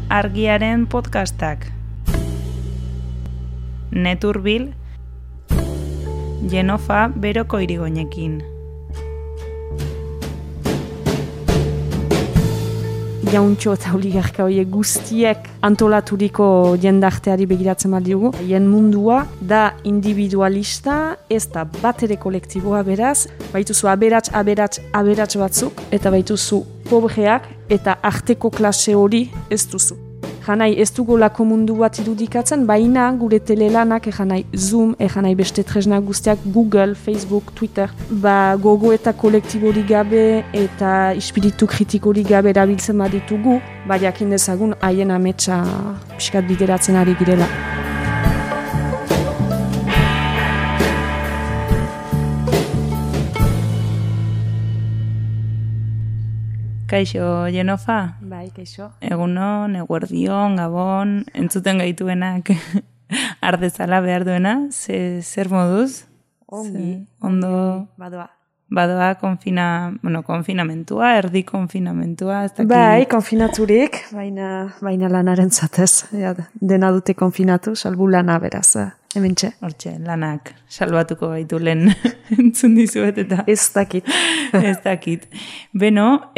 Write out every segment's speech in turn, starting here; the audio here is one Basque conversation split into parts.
Argiaren podcastak. Neturbil, Jenofa beroko irigoinekin. Jauntxo eta oligarka horiek guztiek antolaturiko jendarteari begiratzen badiogu. Hien mundua da individualista, ez da bat ere kolektiboa beraz. Baituzu aberats batzuk, eta baituzu pobreak eta arteko klase hori ez duzu. Janai ez dugolako mundu bat irudikatzen, baina gure telelanak janai Zoom, janai beste tresna guztiak, Google, Facebook, Twitter, gogo eta kolektibori gabe eta espiritu kritikori gabe erabiltzen baditugu, jakin dezagun haien ametsa pixkat bideratzen ari girela. Kaixo, Jenofa? Bai, kaixo. Egunon, eguerdion, gabon, entzuten gaituenak ardezala behar duena, zer moduz? Ongi. Ondo. Badoa konfinamentua, erdi konfinamentua. Bai, konfinaturik, baina lanaren zatez. Dena dute konfinatu, salbu lana beraz, hementxe. Hortxe, lanak salbatuko gaitu lehen entzun dizuet eta. Ez dakit. Beno,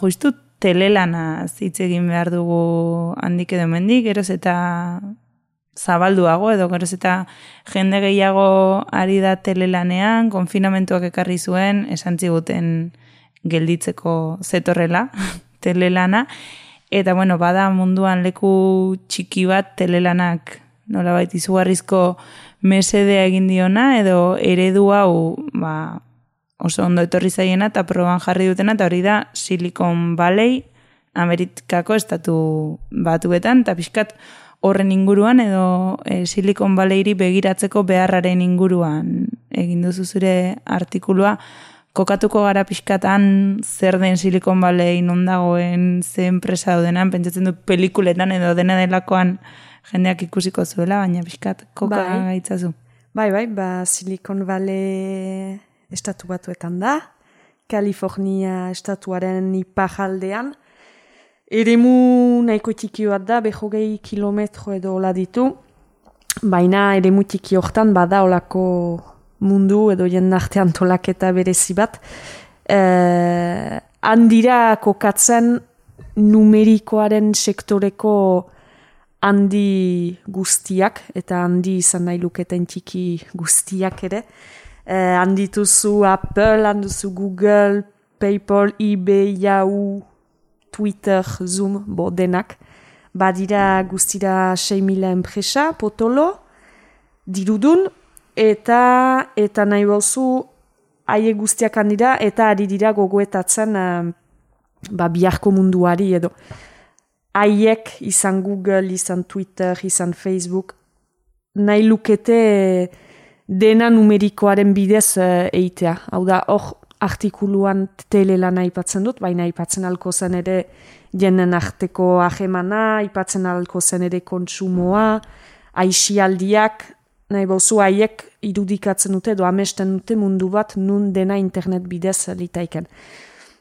justu telelana hitz egin behar dugu handik edo mendik, geroz eta zabalduago edo geroz eta jende gehiago ari da telelanean, konfinamentuak ekarri zuen, esan ziguten gelditzeko zetorrela telelana, eta bada munduan leku txiki bat telelanak nolabait izugarrizko mesedea egin diona, edo eredu hau oso ondo etorri zaiena eta proban jarri dutena, eta hori da Silicon Valley, Amerikako estatu batuetan, eta pixkat horren inguruan edo Silicon Valleyri begiratzeko beharraren inguruan egin duzu zure artikulua. Kokatuko gara pixkatan zer den Silicon Valley, non dagoen, ze enpresa daudenan, pentsatzen du pelikuletan edo dena delakoan jendeak ikusiko zuela, baina pixkat koka gaitzazu. Bai, Silicon Valley estatu batuetan da, California estatuaren iparraldean, eremu nahiko txiki bat da, 20 kilometro edo hola ditu, baina eremu txiki hortan bada olako mundu edo jendarte antolaketa berezi bat. Handira kokatzen numerikoaren sektoreko handi guztiak, eta handi izan nahi luketen txiki guztiak ere. Handituzu Apple, handuzu Google, PayPal, eBay, Yahoo, Twitter, Zoom, denak. Badira guztira 6.000 enpresa, potolo, dirudun, eta nahi bauzu haie guztiak handira, eta ari dira gogoetatzen biharko munduari edo. Haiek izan Google, izan Twitter, izan Facebook, nahi lukete dena numerikoaren bidez eitea. Hau da, hor artikuluan telelana aipatzen dut, baina aipatzen alko zen ere jenen arteko ahemana, aipatzen alko zen ere kontsumoa, aixialdiak, nahi bauzu haiek irudikatzen dute edo amesten dute mundu bat nun dena internet bidez litaiken.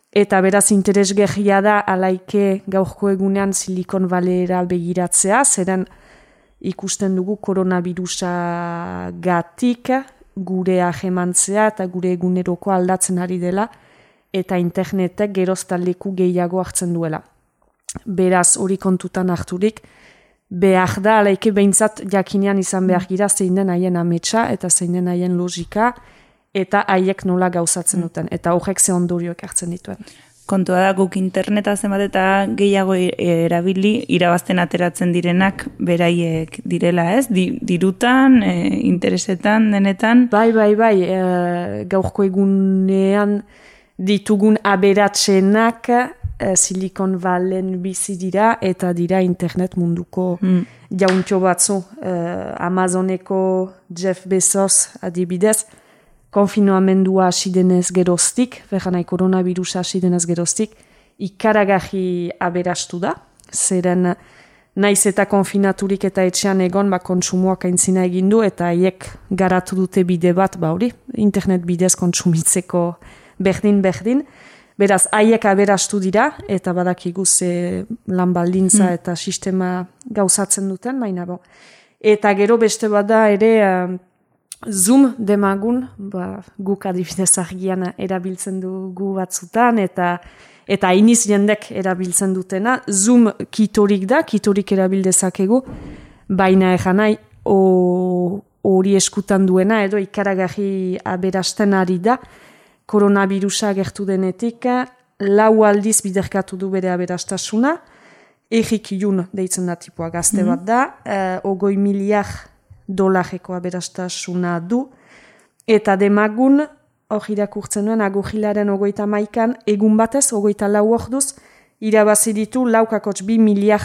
Eta beraz interesgarria da alaike gaurko egunean Silicon Valleyra begiratzea, zeren ikusten dugu koronavirusa gatik gure ahemantzea eta gure eguneroko aldatzen ari dela, eta internetek geroztan leku gehiago hartzen duela. Beraz hori kontutan harturik, behar da alaike behintzat jakinean izan behar gira zein den haien ametsa eta zein den haien logika, eta haiek nola gauzatzen duten, eta horrek ze ondorioak hartzen dituen. Kontua da guk interneta zenbat eta gehiago erabili, irabazten ateratzen direnak beraiek direla, ez? Dirutan, interesetan, denetan? Bai, gaurko egunean ditugun aberatsenak Silicon Valleyn bizi dira, eta dira internet munduko jauntxo batzu. Amazoneko Jeff Bezos adibidez, konfinoamendua hasi denez geroztik, nahi koronavirusa hasi denez geroztik, ikaragarri aberastu da, zeren naiz eta konfinaturik eta etxean egon, kontsumoak aintzina egin du, eta haiek garatu dute bide bat, internet bidez kontsumitzeko berdin, Beraz, haiek aberastu dira, eta badakigu ze lan baldintza eta sistema gauzatzen duten, baina bo. Eta gero beste bada ere Zoom demagun, guk adibidez argian erabiltzen dugu batzutan, eta hainiz jendek erabiltzen dutena. Zoom kitorik da, kitorik erabildezakegu, baina nahi hori eskutan duena, edo ikaragarri aberasten ari da, koronavirusa gertu denetik, 4 aldiz biderkatu du bere aberastasuna, Erik Jun deitzen da tipua gazte bat da, $20 miliar aberastasuna du, eta demagun, hor irakurtzen duen, agurrilaren 31an, egun batez, 24 orduz, irabazi ditu $2 miliar.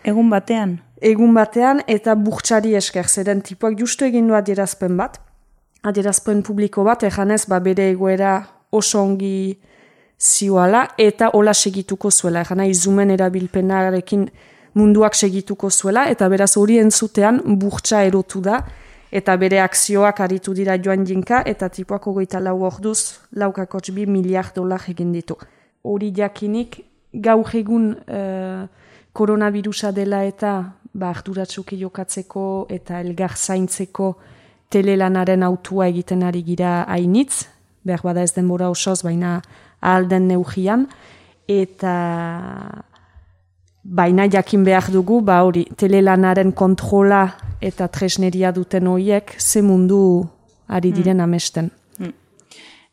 Egun batean? Egun batean, eta burtsari esker, zeren tipuak justu egin du adierazpen bat, adierazpen publiko bat, ejanez, bere egoera oso ongi zioala, eta hola segituko zuela, ejanai Zoomen erabilpenarekin munduak segituko zuela, eta beraz hori entzutean burtsa erotu da, eta bere akzioak aritu dira joan jinka, eta tipuak 24 orduz $2 miliar egin ditu. Hori jakinik, gaur egun koronavirusa dela eta arduratsuki jokatzeko eta elgar zaintzeko telelanaren autua egiten ari gira hainitz, behar bada ez denbora osoz, baina alden neugian, eta baina jakin behar dugu, hori, telelanaren kontrola eta tresneria duten horiek, ze mundu ari diren amesten.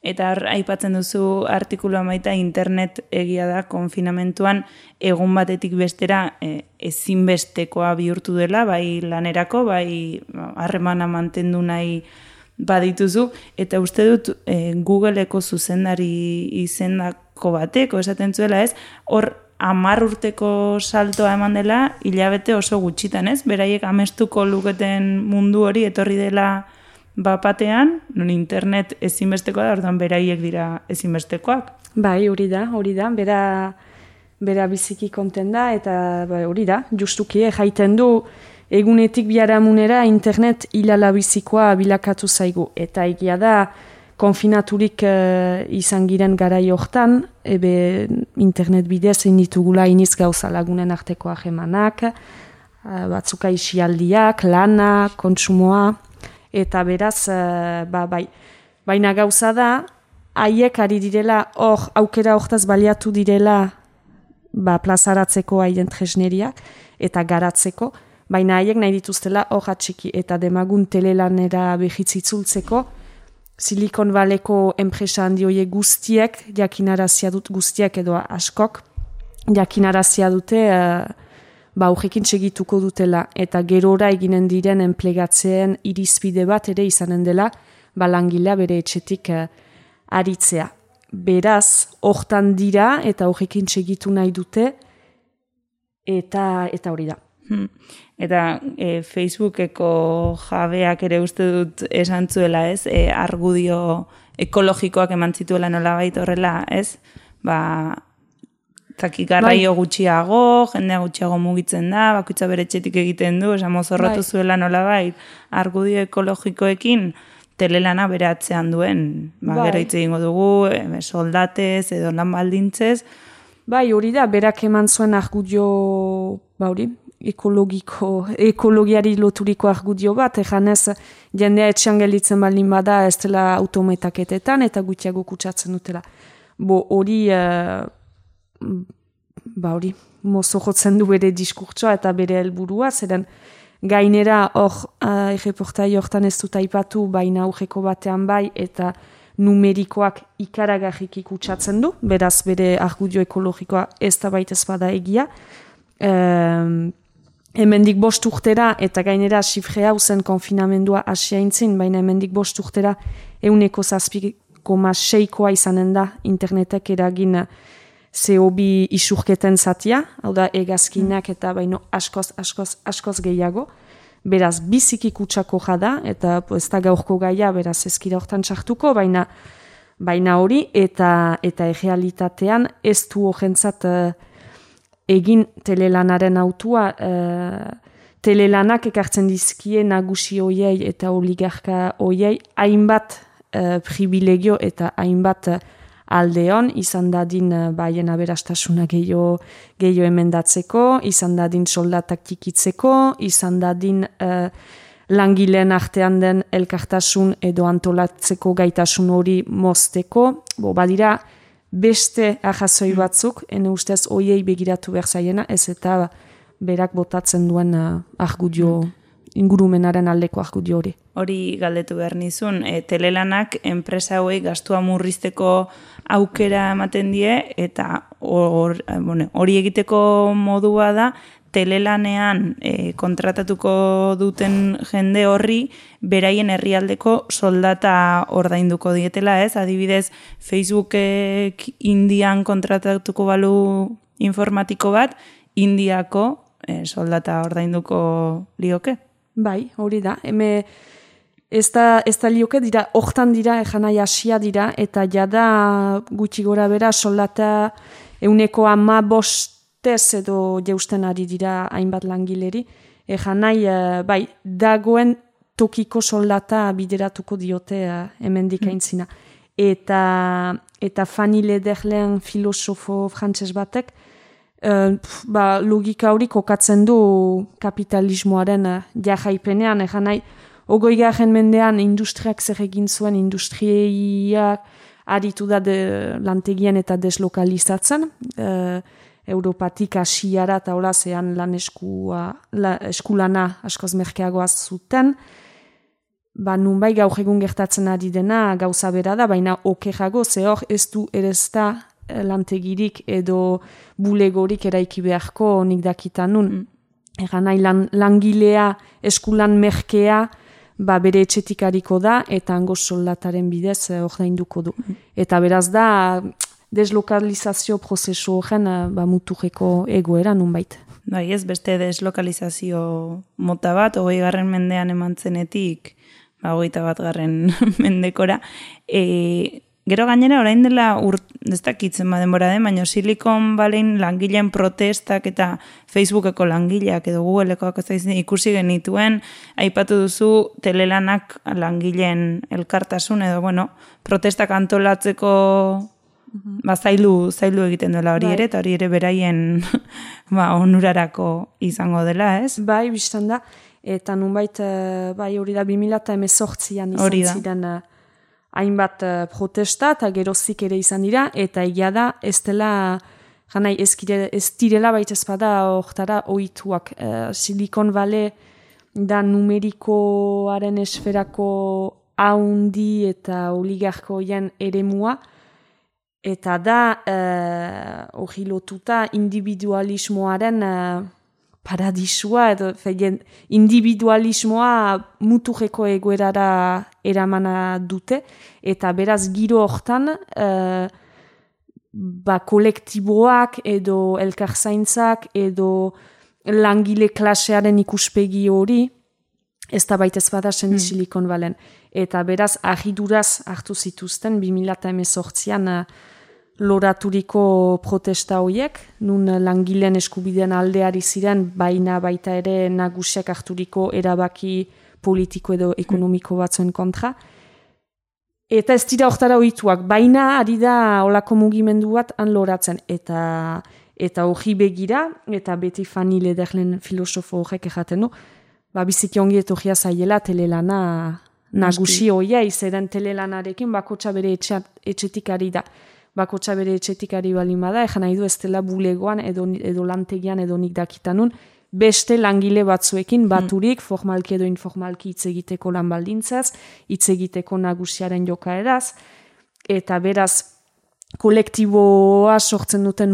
Eta aipatzen duzu artikulua maita, internet egia da konfinamentuan egun batetik bestera ezinbestekoa bihurtu dela, bai lanerako, bai harremana mantendu nahi badituzu, eta uste dut Googleeko zuzendari izendako bateko esaten zuela, ez? Hor 10 urteko saltoa eman dela, hilabete oso gutxitan, ez? Beraiek amestuko luketen mundu hori etorri dela bapatean, non internet ezinbestekoa da, orduan beraiek dira ezinbestekoak. Bai, hori da, bera biziki konten da, eta hori da, justuki jaiten du, egunetik biharamunera internet hilala bizikoa bilakatu zaigu, eta egia da, konfinaturik izan giren garai hortan, internet bidez egin ditugula iniz gauza lagunen arteko ahemanak, batzuka isialdiak, lana, kontsumoa, eta beraz, bai. Baina gauza da, haiek ari direla, aukera hortaz baliatu direla, plazaratzeko haien tresneriak, eta garatzeko, baina haiek nahi dituztela hor atxiki, eta demagun telelanera behitzitzultzeko, Silicon Valleyko enpresa handi horiek guztiek, jakinarazia dut guztiek edo askok, jakinarazia dute, horrekin segituko dutela, eta gerora eginen diren enplegatzeen irizpide bat ere izanen dela, langilea bere etxetik aritzea. Beraz, hortan dira, eta horrekin segitu nahi dute, eta hori da. Eta Facebookeko jabeak ere uste dut esan zuela, ez? Argudio ekologikoak eman zituela nolabait horrela, ez? Garraio gutxiago, jendea gutxiago mugitzen da, bakoitza bere etxetik egiten du, mozorrotu zuela nolabait, argudio ekologikoekin telelana bere atzean duen. Gero hitz egingo dugu, soldatez edo lan baldintzez. Bai, hori da, berak eman zuen argudio, hori, ekologiari loturiko argudio bat, ejanez jendea etxean gelditzen baldin bada ez dela autometaketetan eta gutxiago kutsatzen dutela. Hori, hori, mozo jotzen du bere diskurtsoa eta bere helburua, zeren gainera hor, erreportai hortan ez dut aipatu, baina aurreko batean bai, eta numerikoak ikaragarriki kutsatzen du, beraz bere argudio ekologikoa ez da baitez bada egia, hemendik 5 urtera, eta gainera sifre hau zen konfinamendua asia intzin, baina hemendik 5 urtera 7,6 izanen da internetek eragin CO2 isurketen zatia, hau da egazkinak eta baino askoz gehiago, beraz biziki kutsako jada, eta ez da gaurko gaia, beraz ezkira hortan txartuko, baina hori, eta errealitatean ez du horrentzat egin telelanaren autua, telelanak ekartzen dizkie nagusi hoiei eta oligarka hoiei hainbat privilegio eta hainbat aldeon, izan dadin baien aberastasuna gehiago emendatzeko, izan dadin soldatak tikitzeko, izan dadin langileen artean den elkartasun edo antolatzeko gaitasun hori mozteko, badira beste arrazoi batzuk, ene ustez hoiei begiratu behar zaiena, ez eta berak botatzen duen argudio, ingurumenaren aldeko argudio hori. Hori galdetu behar nizun, telelanak enpresa hauei gastua murrizteko aukera ematen die, eta hori egiteko modua da, telelanean kontratatuko duten jende horri beraien herrialdeko soldata ordainduko dietela, ez? Adibidez, Facebookek Indian kontratatuko balu informatiko bat, Indiako soldata ordainduko lioke? Bai, hori da. Ez da lioke dira, hortan dira, ejanai asia dira, eta jada gutxi gora bera soldata 15% edo jeusten ari dira hainbat langileri. Ejanai, bai, dagoen tokiko soldata bideratuko diote hemendik aintzina. Eta Fanny Lederlen filosofo frantses batek, logika hori kokatzen du kapitalismoaren jahaipenean, ejanai, 20. mendean industriak zer egin zuen, industriak aritu da lantegien eta deslokalizatzen, Europatik Asiara eta hola zean lan eskulana askoz merkeagoaz zuten, nunbai gaur egun gertatzen ari dena gauza bera da, baina okerrago ze hor ez du erezta lantegirik edo bulegorik eraiki beharko nik dakitan nun. Eganai langilea eskulan merkea bere etxetik hariko da eta hango soldataren bidez ordainduko du. Eta beraz da deslokalizazio prozesu horren muturreko egoera nunbait. Bai, ez beste deslokalizazio mota bat, 20. mendean emantzenetik 21. mendekora. Gero gainera, orain dela ez dakitzen denbora den, baina Silicon Valleyn langileen protestak eta Facebookeko langileak edo Googlekoak ikusi genituen, aipatu duzu telelanak langileen elkartasun edo, protestak antolatzeko zailu egiten duela hori ere, eta hori ere beraien onurarako izango dela, ez? Bai, biztan da, eta nunbait, hori da 2018an izan ziren hainbat protesta, eta gerozik ere izan dira, eta egia da, ez dela, ez direla baita ezpada hortara ohituak. Silicon Valley da numerikoaren esferako haundi eta oligarkoien eremua, eta da hori lotuta individualismoaren paradisua, edo individualismoa muturreko egoerara eramana dute, eta beraz giro hortan kolektiboak edo elkarzaintzak edo langile klasearen ikuspegi hori ez da baita ez bada Silicon Valleyn. Eta beraz agiduraz hartu zituzten 2018an loraturiko protesta horiek, nun langileen eskubideen aldeari ziren, baina baita ere nagusiak harturiko erabaki politiko edo ekonomiko batzuen kontra. Eta ez dira hortara ohituak, baina ari da olako mugimendu bat han loratzen. Eta hori begira, eta beti Fanny Lederlen filosofo horrek ejaten du, biziki ongi etorria zaiela telelana nagusi hoia, izaren telelanarekin bakotxa bere etxetik ari da. Bakotxa bere etxetik ari balin bada, ejan nahi du ez dela bulegoan edo lantegian edo nik dakitanun, beste langile batzuekin baturik, formalki edo informalki hitz egiteko lan baldintzaz, hitz egiteko nagusiaren jokaeraz, eta beraz kolektiboa sortzen duten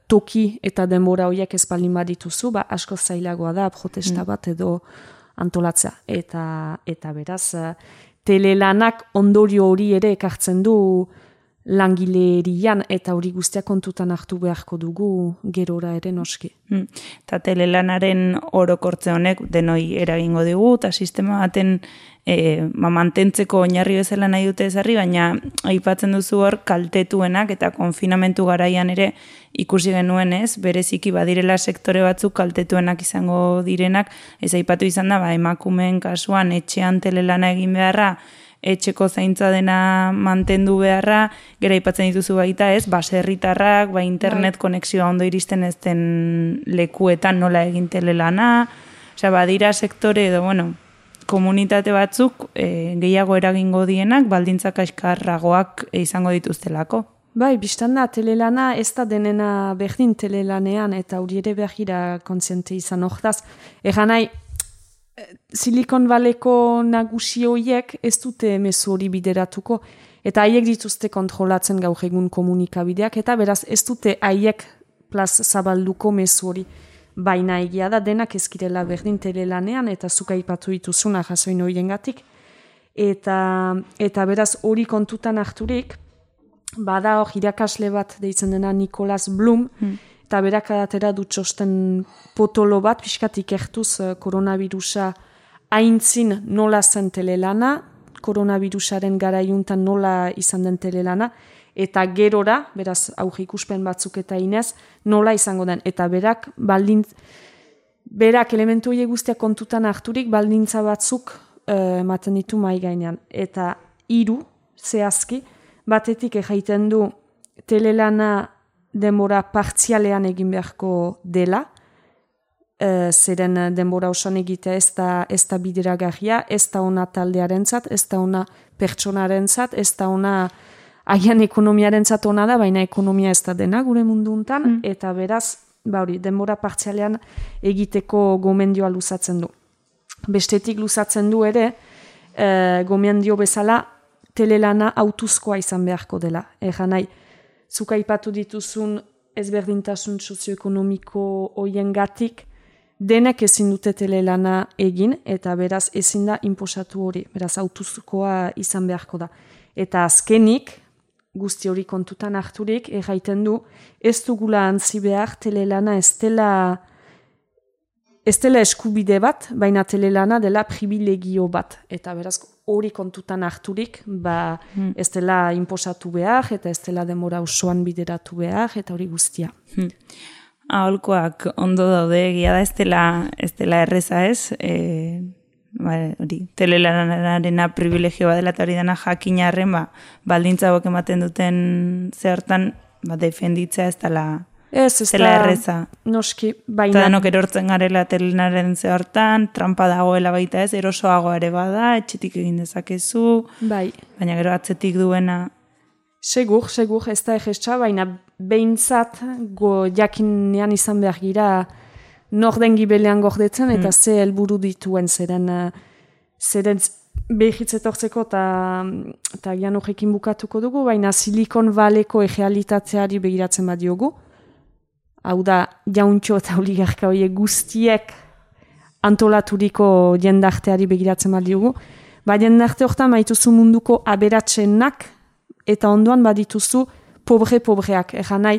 toki eta denbora horiek ez balin badituzu, asko zailagoa da protesta bat edo antolatzea. Eta beraz, telelanak ondorio hori ere ekartzen du langilerian, eta hori guztia kontutan hartu beharko dugu gerora ere noski. Eta telelanaren orokortze honek denoi eragingo digu, eta sistema baten mantentzeko oinarri bezala nahi dute ezarri, baina aipatzen duzu hor kaltetuenak eta konfinamentu garaian ere ikusi genuen ez, bereziki badirela sektore batzuk kaltetuenak izango direnak, ez aipatu izan da, emakumeen kasuan etxean telelana egin beharra, etxeko zaintza dena mantendu beharra, gero aipatzen dituzu baita ez, baserritarrak, internet konexioa ondo iristen ez den lekuetan nola egin telelana, osea, badira sektore edo, komunitate batzuk gehiago eragingo dienak, baldintzak kaskarragoak izango dituztelako. Bai, biztan da, telelana ez da denena berdin telelanean, eta hori ere behira kontziente izan hortaz. Egan nahi, Silicon Valleyko nagusi horiek ez dute mezu hori bideratuko, eta haiek dituzte kontrolatzen gaur egun komunikabideak, eta beraz ez dute haiek plaz zabalduko mezu hori. Baina egia da denak ezkirela berdin telelanean, eta zuka ipatu dituzuna jasoin horiengatik. Eta beraz hori kontutan harturik, bada hor irakasle bat deitzen dena Nicholas Bloom, eta berak adatera du txosten potolo bat, pixkat ikertuz koronavirusa aintzin nola zen telelana, koronavirusaren garaiuntan nola izan den telelana, eta gerora, beraz aurre ikuspen batzuk eta inez, nola izango den. Eta berak elementu horiek guztiak kontutan harturik, baldintza batzuk ematen ditu mai gainean. Eta 3 zehazki, batetik ejaiten du telelana denbora partzialean egin beharko dela, zeren denbora osan egitea ez da bideragarria, ez da ona taldearentzat, ez da ona pertsonarentzat, ez da ona agian ekonomiarentzat ona da, baina ekonomia ez da dena gure mundu hontan, eta beraz, denbora partzialean egiteko gomendioa luzatzen du. Bestetik luzatzen du ere, gomendio bezala, telelana autuzkoa izan beharko dela. Egan nahi, zuka ipatu dituzun ezberdintasun sozioekonomiko hoiengatik, denek ezin dute telelana egin, eta beraz ezin da inposatu hori, beraz autuzkoa izan beharko da. Eta azkenik, guzti hori kontutan harturik, erraiten du, ez dugula antzi behar telelana ez dela eskubide bat, baina telelana dela privilegio bat. Eta beraz hori kontutan harturik, ez dela inposatu behar, eta ez dela denbora osoan bideratu behar, eta hori guztia. Aholkoak ondo daude, egia da ez dela erreza ez, hori, telelanarena privilegio bat dela, eta hori dena jakinarren, baldintza hauek ematen duten zehortan, defenditzea ez dela erreza. Noski, baina. Eta denok erortzen garela telenaren zehortan, trampa dagoela baita ez, erosoago ere bada, etxetik egin dezakezu, baina gero atzetik duena. Segur, ez da egestxa, baina behintzat jakinean izan behar gira nor den gibelean gordetzen, eta ze helburu dituen zeren behitzetortzeko eta gian horrekin bukatuko dugu, baina Silicon Valleyko errealitateari begiratzen badiogu. Hau da, jauntxo eta oligarka horiek guztiek antolaturiko jendarteari begiratzen badiogu. Jendarte horretan baituzu munduko aberatsenak, eta ondoan badituzu pobreak. Egan nahi,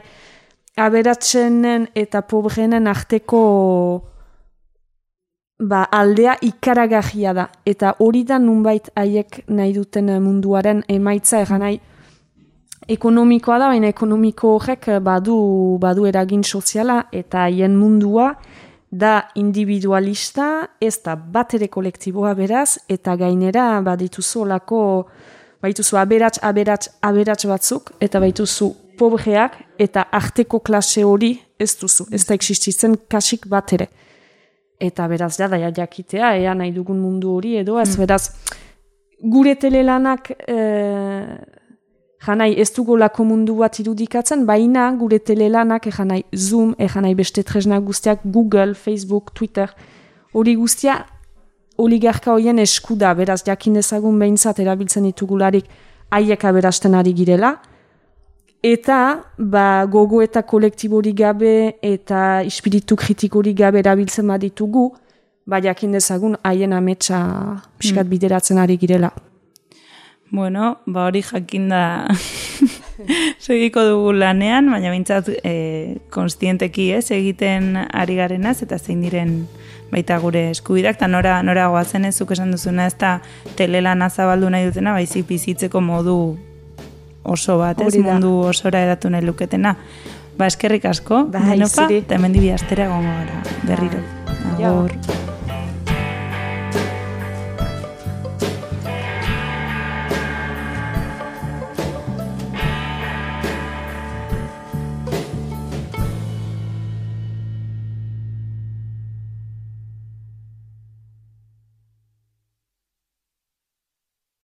aberatsenen eta pobreenen arteko aldea ikaragarria da. Eta hori da nunbait haiek nahi duten munduaren emaitza, egan nahi, ekonomikoa da, baina ekonomiko horrek badu eragin soziala, eta haien mundua da individualista, ez da bat ere kolektiboa beraz, eta gainera badituzu olako, baituzu aberats batzuk, eta baituzu pobreak, eta arteko klase hori ez duzu, ez da existitzen kasik bat ere. Eta beraz, jakitea, ea nahi dugun mundu hori, edo ez beraz, gure telelanak janai ez dugolako mundu bat irudikatzen, baina gure telelanak janai Zoom, janai beste tresna guztiak, Google, Facebook, Twitter, hori guztia oligarka horien esku da, beraz jakin dezagun behintzat erabiltzen ditugularik haiek aberasten ari girela, eta gogo eta kolektiborik gabe eta espiritu kritikorik gabe erabiltzen baditugu, jakin dezagun haien ametsa pixkat bideratzen ari girela. Bueno, hori jakin da segiko dugu lanean, baina bintzat konstienteki egiten ari garenaz, eta zein diren baita gure eskubidak, eta nora goazen ez, zuk esan duzuna ez da telelana zabaldu nahi dutena, baizik bizitzeko modu oso bat, ez mundu osora edatu nahi luketena. Eskerrik asko, Denopa, eta hemen dibi astera gongo gara, berriro. Agur.